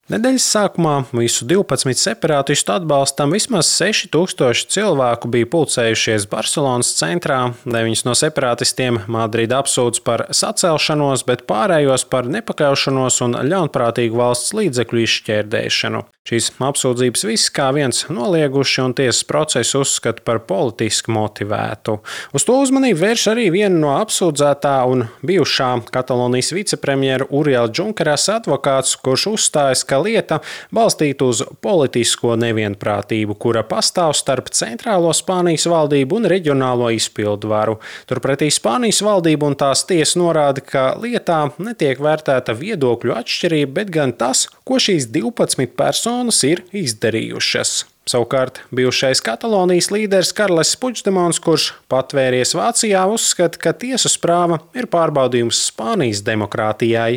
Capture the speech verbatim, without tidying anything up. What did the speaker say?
Nedēļas sākumā visu divpadsmit separātistu atbalstam vismaz seši tūkstoši cilvēku bija pulcējušies Barselonas centrā. Deviņus no separātistiem Madrida apsūdz par sacelšanos, bet pārējos par nepakļaušanos un ļaunprātīgu valsts līdzekļu izšķērdēšanu. Šīs apsūdzības viss kā viens nolieguši un tiesas procesu uzskata par politiski motivētu. Uz to uzmanību vērš arī viena no apsūdzētā un bijušā Katalonijas vicepremjera Uriela Junqueras advokāts, kurš uzstājas, ka lieta balstīta uz politisko nevienprātību, kura pastāv starp centrālo Spānijas valdību un reģionālo izpildvaru. Turpretī Spānijas valdība un tās tiesa norāda, ka lietā netiek vērtēta viedokļu atšķirība, bet gan tas, ko šīs divpadsmit personas ir izdarījušas. Savukārt bijušais Katalonijas līderis Karles Puigdemons, kurš patvēries Vācijā, uzskata, ka tiesas prāva ir pārbaudījums Spānijas demokrātijai.